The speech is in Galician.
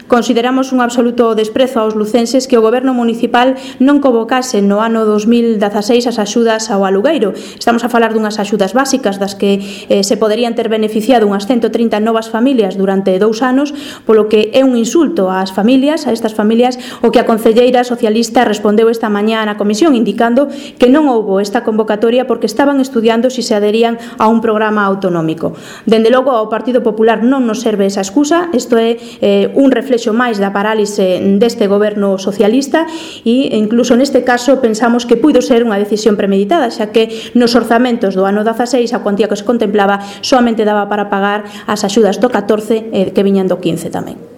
Consideramos un absoluto desprezo aos lucenses que o Goberno municipal non convocase no ano 2016 as axudas ao alugueiro. Estamos a falar dunhas axudas básicas das que se poderían ter beneficiado unhas 130 novas familias durante 2 anos, polo que é un insulto ás familias, a estas familias, o que a concelleira socialista respondeu esta mañá na comisión indicando que non houbo esta convocatoria porque estaban estudiando se aderían a un programa autonómico. Dende logo ao Partido Popular non nos serve esa excusa, isto é un reflexo máis da parálise deste goberno socialista e incluso neste caso pensamos que puido ser unha decisión premeditada, xa que nos orzamentos do ano 16 a cuantía que se contemplaba solamente daba para pagar as axudas do 14 que viñan do 15 tamén.